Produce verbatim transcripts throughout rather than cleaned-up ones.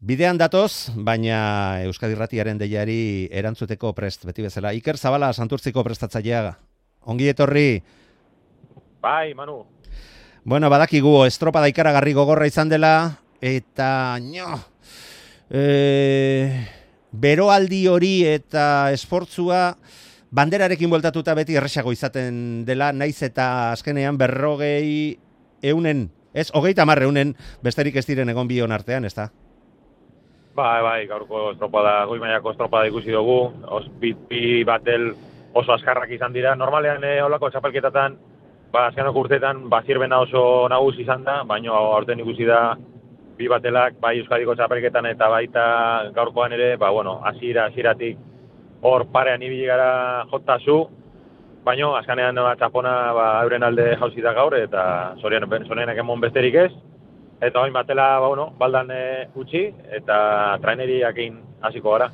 Bidean datoz, baina Euskadi Irratiaren deiari erantzuteko prest, beti bezala. Iker Zabala, Santurtziko prestatzailea. Ongi etorri. Bai, Manu. Bueno, badakigu, estropada ikaragarri gogorra izan dela, eta nio, e, beroaldi hori eta esportzua banderarekin bueltatuta beti erresago izaten dela, naiz eta azkenean berrogei eunen, ez, hogeita hamar eunen besterik ez diren egon bion artean, ez da? Bai, bai, gaurko estropada, goi mailako estropada ikusi dugu, os, bi, bi batel oso azkarrak izan dira. Normalean eh, olako txapelketatan, ba, azkenoko urteetan, ba, zirbena oso nagusi izan da, baina aurten ikusi da bi batelak, bai Euskadiko txapelketan eta baita gaurkoan ere, ba, bueno, hasiera hasieratik hor parean ibili gara jotazu, baina azkenean ba, txapona ba, euren alde jauzi da gaur, eta zorionak emon besterik ez. Eta hain batela, ba, bueno, baldan e, utzi, eta traineriakin hasiko gara.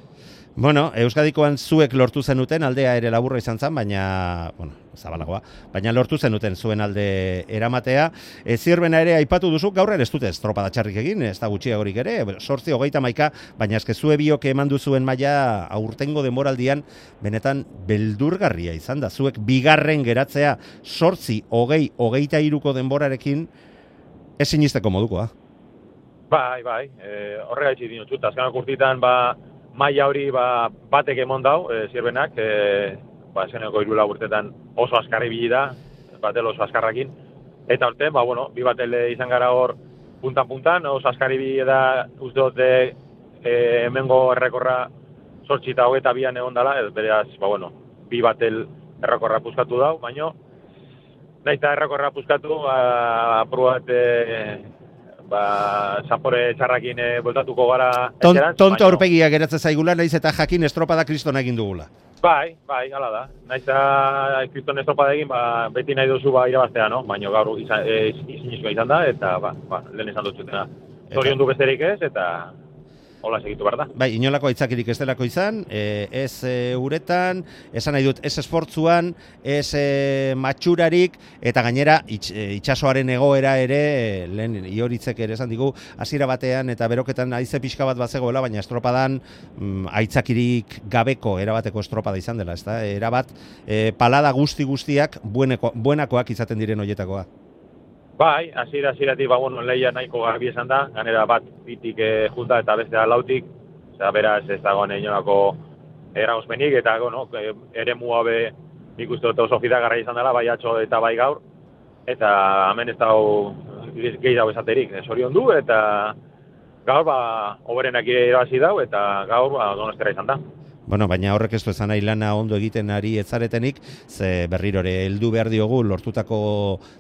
Bueno, Euskadikoan zuek lortu zenuten, aldea ere laburra izan zen, baina, bueno, zabalagoa, baina lortu zenuten zuen alde eramatea. E, zirbena ere aipatu duzu, gaur ere ez dute estropada txarrik egin, ez da gutxiagorik ere, sortzi hogeita maika, baina eske zue biok eman duzuen maila aurtengo denboraldian benetan beldurgarria izan da. Zuek bigarren geratzea sortzi hogei hogeita hiruko denborarekin, ez sinisteko modukoa. Bai, bai, e, horregaitzi dinotut, azkanak urtitan, ba, maila hori ba, batek emon dau, e, zirbenak, e, ba, zeneko irula urtetan oso azkarri bili da, batel oso azkarrakin, eta orten, ba, bueno, bi batel izan gara hor puntan-puntan, oso azkarri bili da, uste dute, e, hemengo errekorra sortzi eta hogeita bian egon dela, beraz, ba, bueno, bi batel errekorra puskatu dau, baino, nahiz eta errekorra puskatu, ba, apurat, e, ba, zapore txarrakin e, voltatuko gara Ton, eserantz. Tonto aurpegia geratzen zaigula, nahiz eta jakin estropada kristona egin dugula. Bai, bai, hala da. Nahiz eta kriston estropada egin, ba, beti nahi duzu ba, irabaztea, no? Baina gaur izan, e, izan, izan da, eta ba, ba, lehen esan dut zutena. Zorion du besterik ez, eta hola segitu behar da. Bai, inolako aitzakirik ez delako izan, e, ez e, uretan, esan nahi dut, ez esportzuan, ez e, matxurarik, eta gainera itx, e, itxasoaren egoera ere, e, lehen ioritzek ere esan digu, hasiera batean eta beroketan haize pixka bat bazegoela, baina estropadan mm, aitzakirik gabeko erabateko estropada izan dela, ezta? Erabat, e, palada guzti guztiak bueneko, buenakoak izaten diren hoietakoa. Bai, hasiera hasieratik ba bueno, leia nahiko garbi esan da, ganera bat bitik e, junta eta bestea lautik, osea beraz ez dagoen inolako eragozpenik eta bueno, eremu habe ikuste dut oso fidagarria izan dela, bai atzo eta bai gaur, eta hemen ez dago gehiago esaterik, sorion du eta gaur ba hoberenak irabazi dau eta gaur ba Donostera izan da. Bueno, baina horrek ez du esan nahi lana ondo egiten ari etzaretenik, ze berrirore heldu behar diogu lortutako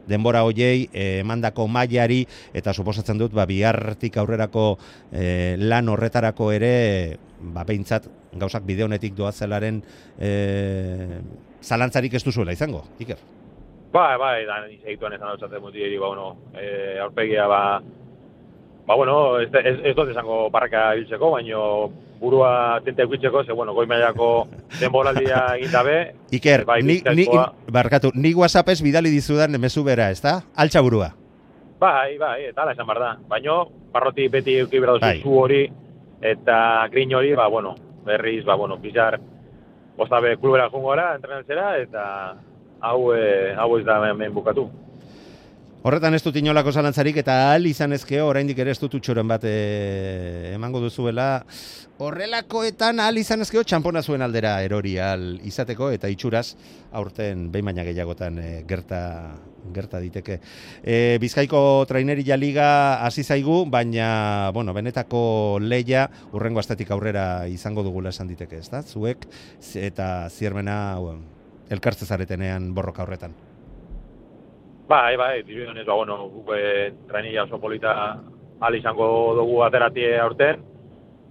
denbora hoiei, emandako mailari, eta suposatzen dut, ba, bihartik aurrerako e, lan horretarako ere, ba, behintzat, gauzak bide honetik doazelaren e, zalantzarik ez duzuela izango, Iker? Bai, bai, da, segituan esan hau zaten mutieri, ba, bueno, e, aurpegia, ba, ba, bueno, ez, ez, ez dut esango barraka biltzeko, baino burua tente eukitzeko, ze, bueno, goi mailako denboraldia egin dabe. Iker, bai, ni, ni, barkatu, ni WhatsAppez bidali dizudan mezu bera, ez da? Altxa burua. Bai, bai, eta ala esan behar da. Baina, barroti beti euki behar bai. zu hori, eta grin hori, ba, bueno, berriz, ba, bueno, bizar, bostabe klubera jungora, entrenatzera, eta hau, e, hau ez da hemen bukatu. Horretan ez dut inolako zalantzarik eta ahal izan ezkeo, oraindik ere ez dut utxoren bat e, emango duzuela. Horrelakoetan ahal izan ezkeo txampona zuen aldera erori ahal izateko eta itxuraz aurten behin baina gehiagotan e, gerta, gerta diteke. E, Bizkaiko Traineria Liga hasi zaigu, baina bueno, benetako leia hurrengo astetik aurrera izango dugula esan diteke, ezta? Zuek eta Ziermena elkartze zaretenean borroka horretan. Bai, bai, dibidonez, ba, bueno, guk e, traineria oso polita ahal izango dugu ateratie aurten.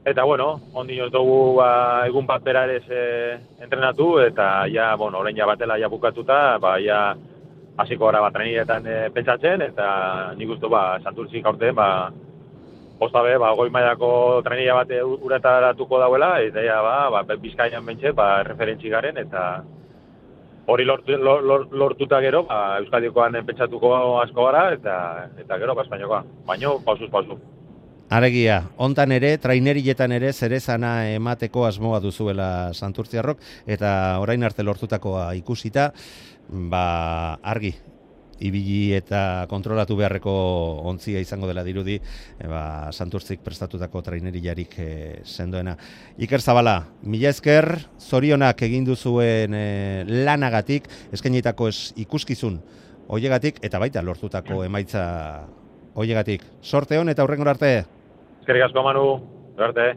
Eta, bueno, ondino dugu ba, egun bat bera ere e, entrenatu, eta ja, bueno, orain ja batela ja bukatuta, ba, ja hasiko gara bat trainerietan e, pentsatzen, eta nik uste, ba, Santurtzik aurten, ba, postabe, ba, goi mailako traineria bat uretaratuko dauela, eta ja, ba, ba, Bizkaian bentxe, ba, referentzi garen, eta hori lortu, lor, lortuta gero, ba, Euskadikoan pentsatuko asko gara, eta, eta gero, ba, Espainiakoa. Baina, pausuz, pausuz. Aregia, hontan ere, trainerietan ere zerezana emateko asmoa duzuela Santurtziarrok, eta orain arte lortutakoa ikusita, ba, argi, ibili eta kontrolatu beharreko ontzia izango dela dirudi, e, ba, Santurtzik prestatutako traineriarik e, sendoena. Iker Zabala, mila esker, zorionak egin duzuen e, lanagatik, eskainitako ez ikuskizun hoiegatik, eta baita lortutako emaitza hoiegatik. Sorte hon eta hurrengora arte. Eskerrik asko, Manu. Arte.